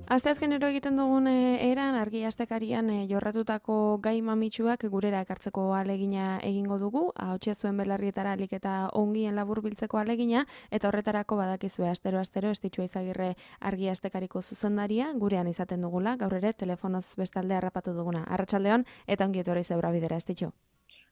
Asteazkenero egiten dugun eran argi astekarian jorratutako gai mamitsuak gurera ekartzeko alegina egingo dugu, ahotsa zuen belarrietara alik eta ongien laburbiltzeko alegina, eta horretarako badakizue astero Estitxu Izagirre argi astekariko zuzendaria gurean izaten dugula, gaur ere telefonoz bestalde harrapatu duguna. Arratsaldeon eta ongi etorri zeura bidera, Estitxu.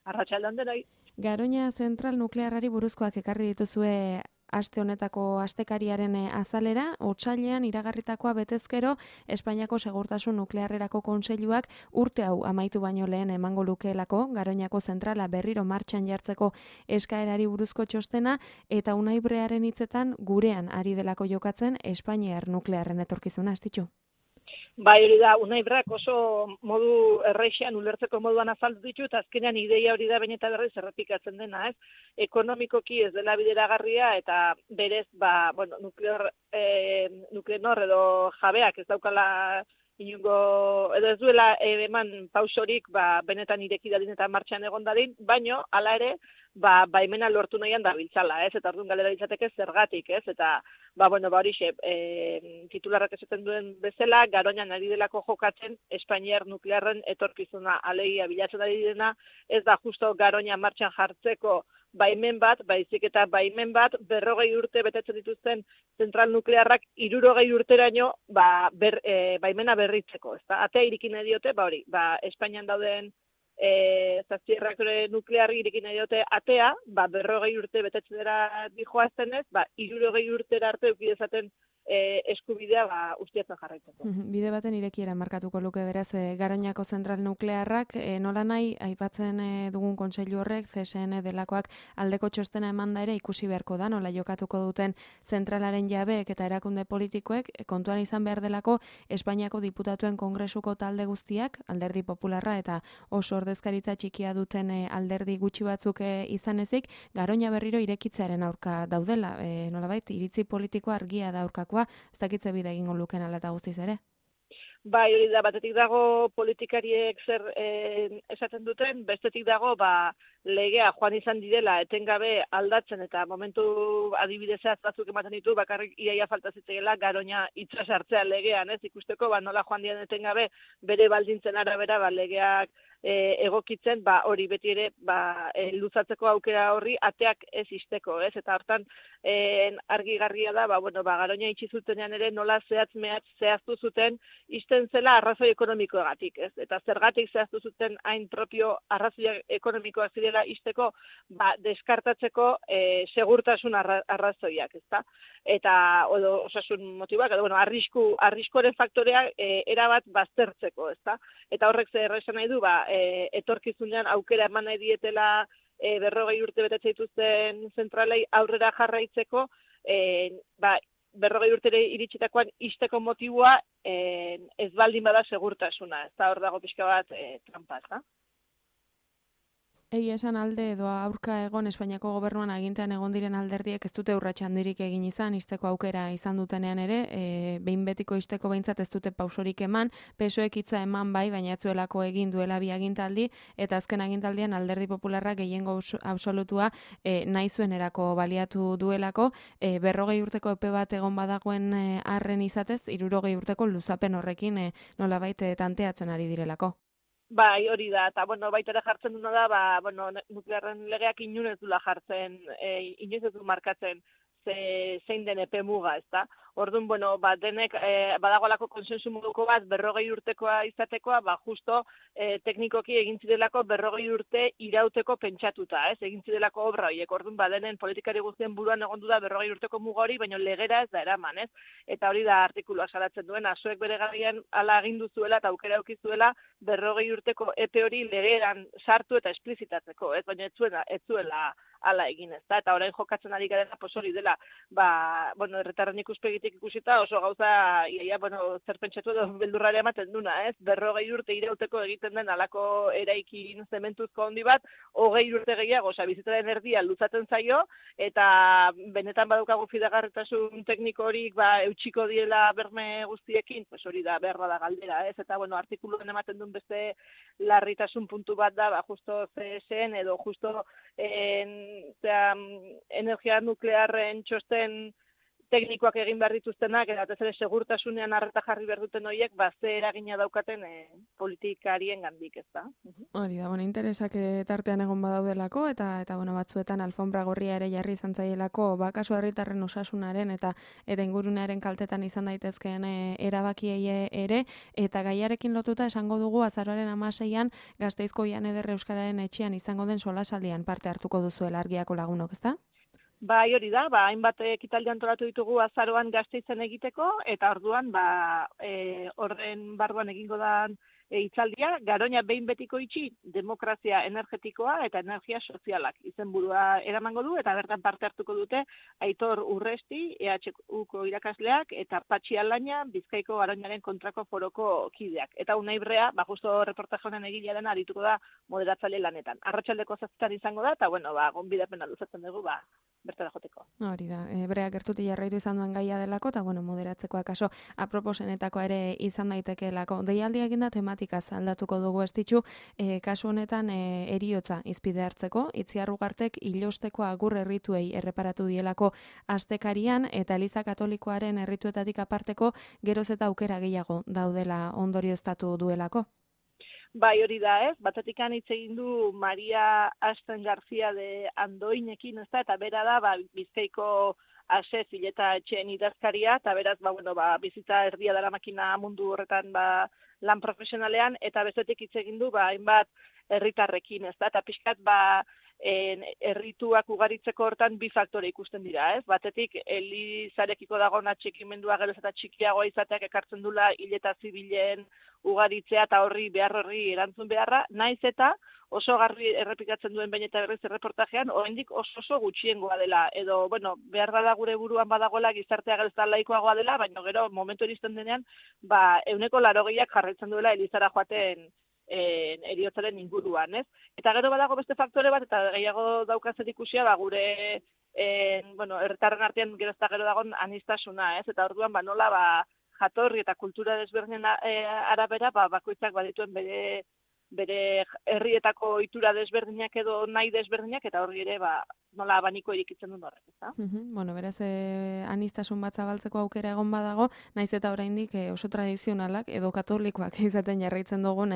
Arratsaldeon denoi. Garoña zentral nuklearrari buruzkoak ekarri dituzue aste honetako astekariaren azalera, otsailean iragarritakoa betezkero Espainiako Segurtasun Nuklearrerako Kontseiluak urte hau amaitu baino lehen emango lukeelako Garoñako zentrala berriro martxan jartzeko eskaerari buruzko txostena, eta Unai Brearen hitzetan gurean ari delako jokatzen Espainiar nuklearren etorkizuna, Estitxu. Bai, hori da, Unai Brak oso modu erreixean ulertzeko moduan azaldu ditu, eta azkenean ideia hori da baina eta berriz errepikatzen dena, ez? Ekonomikoki ez dela bideragarria, eta berez, Nuklenor edo jabeak ez daukala inungo, edo ez duela eman pausorik, benetan ireki dadin eta martxan egon dadin, baino, hala ere, baimena lortu nahian da biltzala, ez? Eta orduan galera ditzateke zergatik, ez? Eta, horixe, titularrak esaten duen bezala, Garoñan ari delako jokatzen Espainiar nuklearren etorkizuna, alegia bilatzen ari dena, ez da justo Garoña martxan jartzeko baimen bat, baizik eta baimen bat, 40 urte betetzen dituzten zentral nuklearrak 60 urteraino baimena berritzeko, ezta? Atea irikin nahi diote, Espainian dauden zazpierreaktore nuklearri irikin nahi diote atea, 40 urte betetzen dira dijoaztenez, 60 urtera arte eukidezaten eskubidea ustiatzen jarraitzeko. Bide baten irekiera markatuko luke beraz Garoñako zentral nuklearrak, nola nahi aipatzen dugun kontseilu horrek, CSN delakoak aldeko txostena emanda ere ikusi beharko da, nola jokatuko duten zentralaren jabeek eta erakunde politikoek, kontuan izan behar delako Espainiako diputatuen kongresuko talde guztiak, alderdi popularra eta oso ordezkaritza txikia duten alderdi gutxi batzuk izan ezik, Garoña berriro irekitzearen aurka daudela, nolabait iritzi politiko argia da aurkakoa, ez dakitze bide egingo luken ala eta guztiz ere? Bai, hori da, batetik dago politikariek zer esaten duten, bestetik dago legea joan izan direla etengabe aldatzen, eta momentu adibidezaz batzuk ematen ditu, bakarrik iaia falta zitzaela Garoña itsas hartzea legean, ez ikusteko, nola joan diren etengabe bere baldintzen arabera legeak egokitzen, hori beti ere luzatzeko aukera horri ateak ez isteko, ez? Eta hortan argigarria da, Garoña itxi zutenean ere nola zehaztu zuten isten zela arrazoi ekonomikoagatik, ez? Eta zergatik zehaztu zuten hain propio arrazoi ekonomikoak zirela isteko, deskartatzeko segurtasun arrazoiak, ezta? Eta osasun motiboak, edo arriskuaren faktoreak erabat baztertzeko, ezta? Eta horrek zer esan nahi du, etorkizunean aukera eman nahi dietela 40 urte betetzen dituzten zentralei aurrera jarraitzeko, 40 urtere iritsitakoan isteko motiboa ez baldin bada segurtasuna, ez da hor dago pixka bat trampa, ez da? Egia esan alde edo aurka egon Espainiako gobernuan agintean egon diren alderdiek ez dute urrats handirik egin izan, isteko aukera izan dutenean ere, behin betiko isteko behintzat ez dute pausorik eman, PSOEk hitza eman baina ez zuelako egin duela bi agintaldi, eta azken agintaldian alderdi popularra gehiengo absolutua nahi zuenerako baliatu duelako, 40 urteko epe bat egon badagoen arren izatez, 60 urteko luzapen horrekin nolabait tanteatzen ari direlako. Bai, hori da, eta baita ere jartzen duna da, nuklearren legeak inoiz dula jartzen, inoiz ez du markatzen zein den epe muga, ezta? Orduan, denek badagoelako konsensu moduko bat 40 urtekoa izatekoa, justo teknikoki egin zirelako 40 urte irauteko pentsatuta, ez? Egin zirelako obra horiek. Orduan, denen politikari guztien buruan egon du da 40 urteko muga hori, baina legera ez da eraman, ez? Eta hori da artikulua salatzen duena, zuek bere garaian ala agindu zuela eta aukera eduki zuela 40 urteko epe hori legeran sartu eta esplizitatzeko, ez? Baina ez zuela ala egin, ez da? Eta orain jokatzen ari garena hori dela, herritarren ikuspegitik ikusita oso gauza, zer pentsatu edo beldurrari ematen duna, ez? 40 urte irauteko egiten den alako eraikin zementuzko handi bat, 20 urte gehiago, bizitzaren erdia luzatzen zaio, eta benetan badaukagu fidagarritasun tekniko horik eutxiko diela berme guztiekin, hori da, berra da galdera, ez? Eta, artikuluen ematen duen beste larritasun puntu bat da, justo CSN edo justo energia nuklearren txosten teknikoak egin behar dituztenak, eta batez ere segurtasunean arreta jarri behar duten horiek, ze eragina daukaten politikarien gandik, ez da. Hori da, interesak tartean egon badaudelako, eta bueno, batzuetan alfombra gorria ere jarri izan zaielako, kasu herritarren osasunaren eta ingurunearen kaltetan izan daitezkeen erabakiei ere, eta gaiarekin lotuta esango dugu azaroaren 16an Gasteizko Jan Eder Euskararen etxean izango den solasaldian parte hartuko duzuela Argiako lagunok, ezta? Bai, hori da, hainbat ekitaldi antolatu ditugu azaroan Gasteizen egiteko, eta orduan, horren barruan egingo da hitzaldia, Garoña behin betiko itxi, demokrazia energetikoa eta energia sozialak izenburua eramango du, eta bertan parte hartuko dute Aitor Urresti, EHUko irakasleak, eta Patxi Alaina, Bizkaiko Garoñaren kontrako foroko kideak. Eta Unai Brea, justo reportaje honen egilearen arituko da moderatzaile lanetan. Arratsaldeko 7 izango da, eta gonbidapena luzatzen dugu, bertara joteko. Hori da, Brea gertuti jarraitu izan duen gaia delako, eta moderatzeko akaso aproposenetakoa ere izan daitekeelako. Deialdia egin da tematikaz aldatuko dugu estitxu, kasu honetan eriotza izpide hartzeko, Itziar Ugartek ilosteko agur errituei erreparatu dielako astekarian, eta Eliza Katolikoaren errituetatik aparteko geroz eta aukera gehiago daudela ondorioztatu duelako. Bai, hori da, batetik hitz egin du Maria Asten García de Andoinekin, eta bera da, Bizkaiko ase zileta etxeen idazkaria, eta beraz, bizitza erdia dara makina mundu horretan lan profesionalean, eta bestetik hitz egin du, hainbat herritarrekin, eta pixkat, errituak ugaritzeko hortan bi faktore ikusten dira, Batetik, Elizarekiko dagoen atxikimendua geroz eta txikiagoa izateak ekartzen dula hileta zibilen ugaritzea eta horri erantzun beharra, naiz eta oso garbi errepikatzen duen behin eta berriz erreportajean, oraindik oso gutxiengoa dela, edo, behar da gure buruan badagoela gizartea geroz eta laikoagoa dela, baina gero momentu iristen denean, 180ak jarraitzen duela Elizara joaten eriotzaren inguruan, Eta gero badago beste faktore bat, eta gehiago daukazen ikusia, gure, herritarren artean gero eta gero dagoen aniztasuna, Eta orduan, nola, jatorri eta kultura desberdinen arabera, bakoitzak badituen bere herrietako ohitura desberdinak edo nahi desberdinak, eta horri ere, nola abaniko irikitzen duen horrek, ezta? Beraz, aniztasun bat zabaltzeko aukera egon badago, naiz eta oraindik oso tradizionalak edo katolikoak izaten jarraitzen dugun,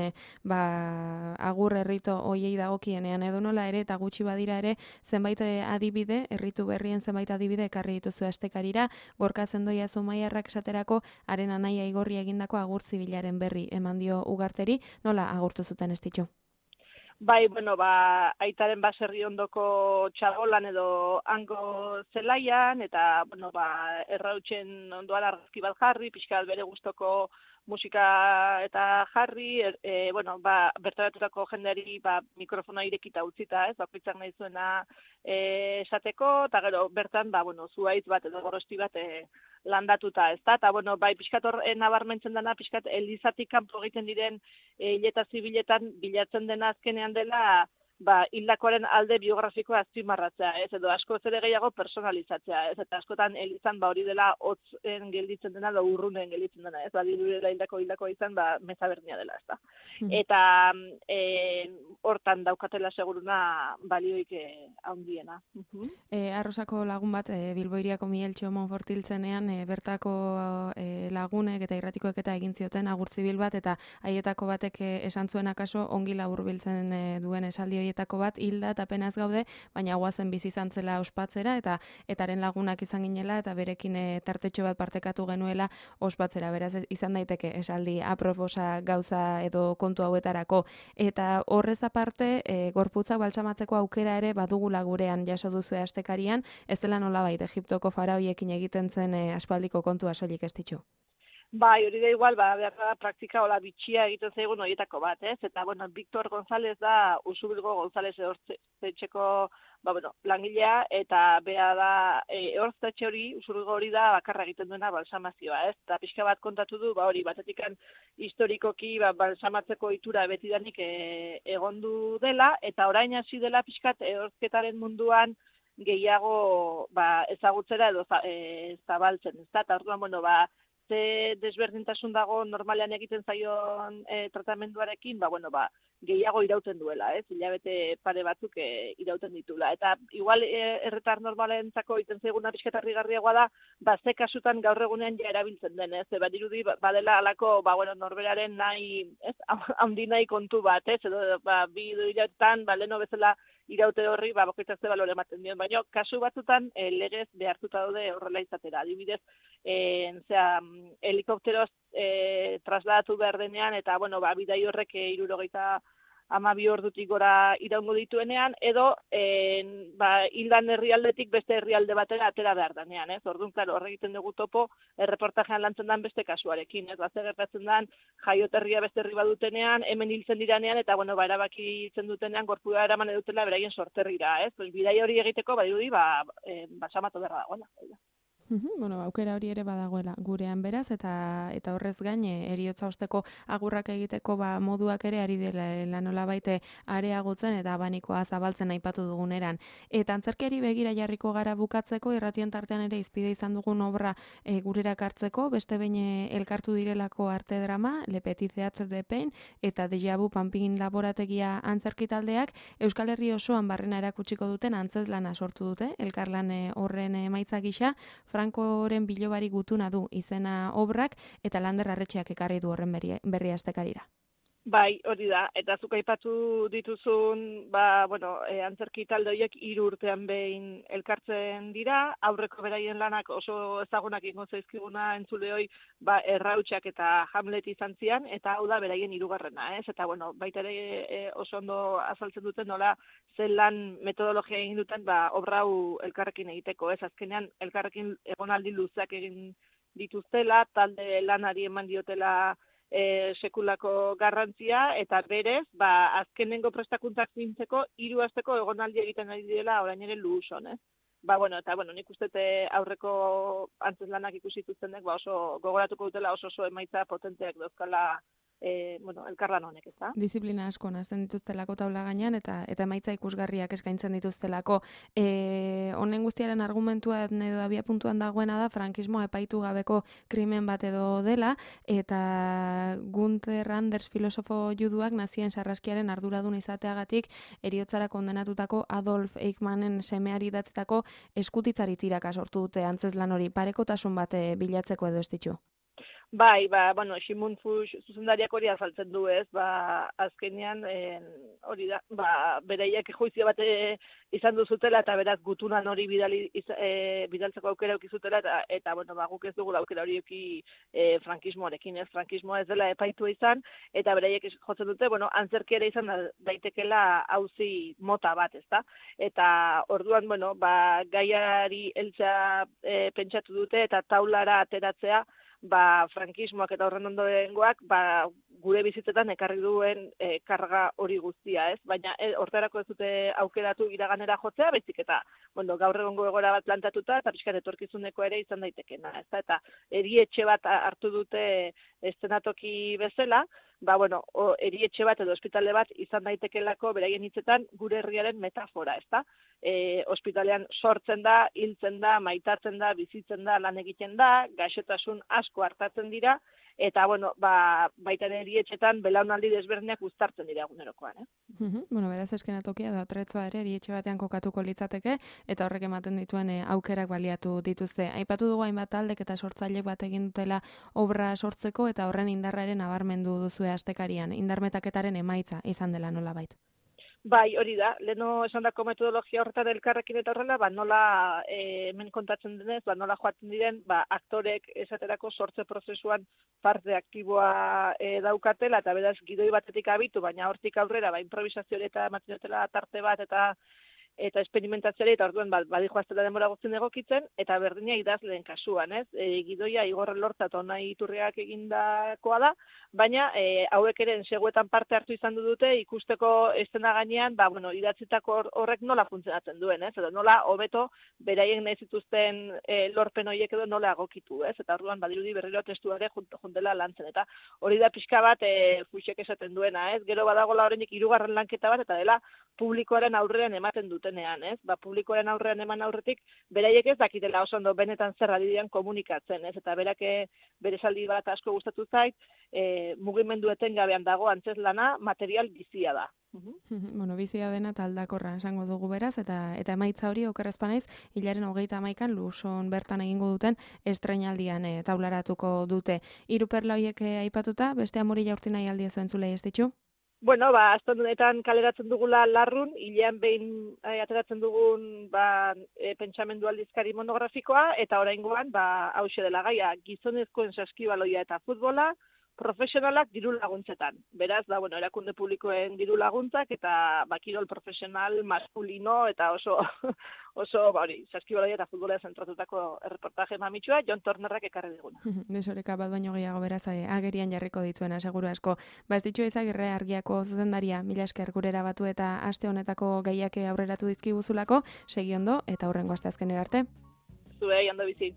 agur errito hoiei dagokienean edo nola ere, eta gutxi badira ere, zenbait adibide, erritu berrien zenbait adibide ekarri dituzu astekarira, Gorka Zendoia Zumaiarrak esaterako, haren anaia Igorri egindako agur zibilaren berri eman dio Ugarteri, nola agurtu zuten estitxu? Bai, aitaren baserri ondoko txabolan edo hango zelaian, eta, errautxen ondoan argazki bat jarri, pixka bere gustoko musika eta jarri, bertaratutako jendeari mikrofona irekita utzita, bakoitzak nahi zuena esateko, eta gero bertan, zuhaitz bat edo gorosti bat landatuta, ezta? Eta, pixkat hor nabarmentzen dena, pixkat Elizatik kanpo egiten diren hileta zibiletan bilatzen dena azkenean dela, hildakoaren alde biografikoa azpimarratzea, edo asko ere gehiago personalizatzea, eta askotan Elizan hori dela hotzen gelditzen dena, edo urrunen gelditzen dena, dirudela hildako izan, meza berdina dela, ezta? Eta hortan daukatela seguruna balioik handiena. Arrosako lagun bat, Bilboiriako Miguel Txomon Fortiltzenean, bertako lagunek eta irratikoek eta egin zioten agurtzibil bat, eta haietako batek esan zuen akaso ongi laburbiltzen duen esaldi horietako bat, hilda eta penaz gaude, baina guazen bizi izan zela ospatzera, eta etaren lagunak izan ginela, eta berekin tartetxo bat partekatu genuela ospatzera, beraz izan daiteke esaldi aproposa gauza edo kontu hauetarako. Eta horrez aparte, gorputzak baltsamatzeko aukera ere badugula gurean jaso duzu astekarian, ez dela nolabait Egiptoko faraoiekin egiten zen aspaldiko kontua soilik ez ditxu. Bai, hori da igual, behar da praktika hola bitxia egiten zaigun horietako bat, Eta, Victor González da, Usubilgo González ehorztetxeko, langilea, eta beha da, ehorztetxe hori, Usubilgo hori da, bakarra egiten duena balsamazioa, Eta pixka bat kontatu du, hori, batetikan historikoki, balsamatzeko itura betidanik egondu dela, eta orain hasi dela pixkat ehorzketaren munduan gehiago ezagutzera edo zabaltzen, Eta orduan, ze desberdintasun dago normalean egiten zaion tratamenduarekin, gehiago irauten duela, hilabete pare batzuk irauten ditula. Eta igual erretar normalentzako iten zaiguna pixketarri garriagoa da, ze kasutan gaur egunean ja erabiltzen den, badirudi badela alako, norberaren nahi, handi nahi kontu bat, edo bi hilabetetan, leno bezala iraute horri, bakoitzak ze balore ematen dion, baina kasu batzutan legez behartuta daude horrela izatera. Adibidez, helikopteroz trasladatu behar denean, eta, bidai horrek 72 ordutik gora iraungo dituenean, edo hildan herrialdetik beste herrialde batera atera behar denean, Orduan, klaro, horre egiten dugu topo, erreportajean lantzen den beste kasuarekin, Ze gertatzen den, jaioterria beste herri badutenean, hemen hiltzen diranean, eta, erabaki itzen dutenean, gorpua eraman edutela beraien sorterrira, Bidai hori egiteko, badirudi, samatu berra dagoela. Aukera hori ere badagoela gurean beraz, eta horrez gain eriotza osteko agurrak egiteko moduak ere ari dela nola baite areagotzen eta abanikoa zabaltzen aipatu duguneran. Eta antzerkiari begira jarriko gara bukatzeko, irratien tartean ere izpide izan dugun obra gurera kartzeko, beste behin elkartu direlako arte drama, Le Petit Theatre de Pain, eta Deja Vu Panpin laborategia antzerki taldeak, Euskal Herri osoan barrena erakutsiko duten antzeslana sortu dute, elkarlan horren emaitza gisa, Frankoren bilobari gutuna du izena obrak, eta Lander Arretxeak ekarri du horren berri astekarira. Bai, hori da, eta zuk aipatu dituzun, antzerki talde horiek 3 urtean behin elkartzen dira, aurreko beraien lanak oso ezagunak ingo zaizkiguna entzuleoi, Errautsak eta Hamlet izan zian, eta hau da beraien 3. Eta baita ere oso ondo azaltzen duten nola zen lan metodologia egin duten, obra hau elkarrekin egiteko, azkenean elkarrekin egonaldi luzeak egin dituztela, talde lanari eman diotela sekulako garrantzia, eta berez, azkenengo prestakuntzak zintzeko 3 asteko egonaldi egiten ari direla orain ere Luson, nik uste aurreko antzeslanak ikusi zuztenek, oso gogoratuko dutela oso emaitza potenteak dauzkala elkarlan honek, ezta? Disiplina asko nazten dituztelako taula gainean, eta emaitza ikusgarriak eskaintzen dituztelako. Honen guztiaren argumentua edo abia puntuan dagoena da, frankismoa epaitu gabeko krimen bat edo dela, eta Gunther Anders filosofo juduak nazien sarraskiaren arduradun izateagatik eriotzara kondenatutako Adolf Eichmannen semeari datzetako eskutitzari tiraka sortu dute antzeslan hori, parekotasun bat bilatzeko edo ez ditu? Bai, Simon Fuchs zuzendariak hori azaltzen du, azkenean hori da, bereiek juizio bat izan duzutela, eta beraz gutunan hori bidaltzeko aukera ukizutela, eta guk ez dugu aukera hori uki frankismoarekin, frankismoa ez dela epaitua izan, eta bereiek jotzen dute, antzerki ere izan daitekela auzi mota bat, ezta? Eta orduan, gaiari heltzea pentsatu dute, eta taulara ateratzea, frankismoak eta horren ondorengoak gure bizitzetan ekarri duen karga hori guztia, Baina hortarako ez dute aukeratu iraganera jotzea, baizik eta gaur egongo egoera bat plantatuta eta pixkat etorkizuneko ere izan daitekena, Eta erietxe bat hartu dute eszenatoki bezala, erietxe bat edo ospitale bat izan daitekelako beraien hitzetan gure herriaren metafora, Ospitalean sortzen da, hiltzen da, maitatzen da, bizitzen da, lan egiten da, gaixotasun asko hartatzen dira, eta, baita ere erietxetan belaunaldi desberdinak uztartzen dira egunerokoan, Beraz eskenatokia da tretzoa ere erietxe batean kokatuko litzateke, eta horrek ematen dituen aukerak baliatu dituzte. Aipatu dugu hainbat taldek eta sortzailek bat egin dutela obra sortzeko, eta horren indarraren nabarmendu duzue astekarian, indarmetaketaren emaitza izan dela nolabait. Bai, hori da, leheno esandako metodologia horretan elkarrekin eta horrela, nola hemen kontatzen denez, nola joaten diren, aktorek esaterako sortze prozesuan parte aktiboa daukatela, eta beraz gidoi batetik abitu, baina hortik aurrera, improvisazioa eta ematen tarte bat, eta esperimentazioari, eta orduan badijoaztela denbora guztien egokitzen, eta berdina idazleen kasuan, gidoia Igor Elorza eta Unai Iturriak egindakoa da, baina hauek ere enseguetan parte hartu izan dute ikusteko eszena gainean, idatzitako horrek nola funtzionatzen duen, edo nola hobeto beraien nahi zituzten lorpen horiek edo nola egokitu, eta orduan badirudi berriro testuare juntela lantzen, eta hori da pixka bat Fuchsek esaten duena, gero badagola oraindik 3. lanketa bat, eta dela publikoaren aurrean ematen dute dutenean, ez? Publikoaren aurrean eman aurretik, beraiek ez dakitela oso ondo benetan zer ari diren komunikatzen, ez? Eta berak bere esaldi bat asko gustatu zait, mugimendu etengabean dago antzeslana material bizia da. Bueno, bizia dena eta aldakorra esango dugu beraz, eta emaitza hori okerrezpanaiz, hilaren 31an Luson bertan egingo duten estreinaldian taularatuko dute. Hiru perla horiek aipatuta, beste amorilla urti nahi aldia zuen zulei ez ditxu? Bueno, astondunetan kaleratzen dugula larrun, hilean behin ateratzen dugun pentsamendu aldizkari monografikoa, eta oraingoan hauxe dela gaia, gizonezkoen saskibaloia eta futbola, profesionalak diru laguntzetan. Beraz, erakunde publikoen diru laguntzak eta kirol profesional maskulino eta oso saskibaloia eta futbola zentratutako erreportaje mamitsua Jon Tornerrak ekarri diguna. Desoreka bat baino gehiago beraz agerian jarriko dituena seguru asko. Ez ditxo Izagirre Argiako zuzendaria, mila esker gurera batu eta aste honetako gaiak aurreratu dizkiguzulako, segi ondo eta hurrengo asteazkenera arte. Zuei ondo bizi.